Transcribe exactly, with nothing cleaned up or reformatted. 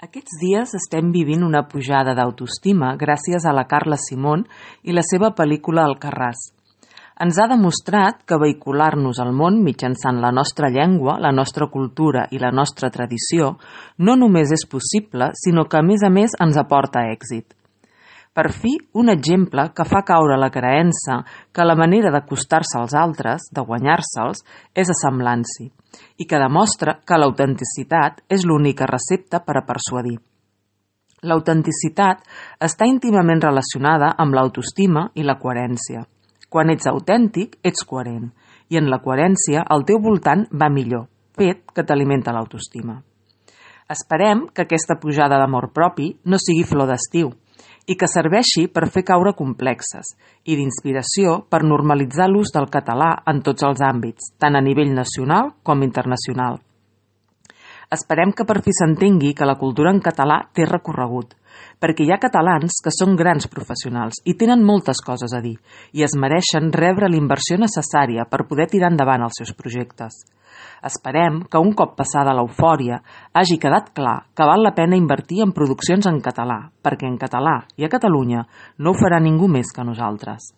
Aquests dies estem vivint una pujada d'autoestima gràcies a la Carla Simón i la seva pel·lícula Alcarràs. Ens ha demostrat que vehicular-nos al món mitjançant la nostra llengua, la nostra cultura i la nostra tradició no només és possible, sinó que a més a més ens aporta èxit. Per fi, un exemple que fa caure la creença que la manera d'acostar-se als altres, de guanyar-se'ls, és assemblant-s'hi, i que demostra que l'autenticitat és l'única recepta per a persuadir. L'autenticitat està íntimament relacionada amb l'autoestima i la coherència. Quan ets autèntic, ets coherent, i en la coherència el teu voltant va millor, fet que t'alimenta l'autoestima. Esperem que aquesta pujada d'amor propi no sigui flor d'estiu, i que serveixi per fer caure complexes i d'inspiració per normalitzar l'ús del català en tots els àmbits, tant a nivell nacional com internacional. Esperem que per fi s'entengui que la cultura en català té recorregut, perquè hi ha catalans que són grans professionals i tenen moltes coses a dir i es mereixen rebre la inversió necessària per poder tirar endavant els seus projectes. Esperem que un cop passada l'eufòria hagi quedat clar que val la pena invertir en produccions en català, perquè en català i a Catalunya no ho farà ningú més que nosaltres.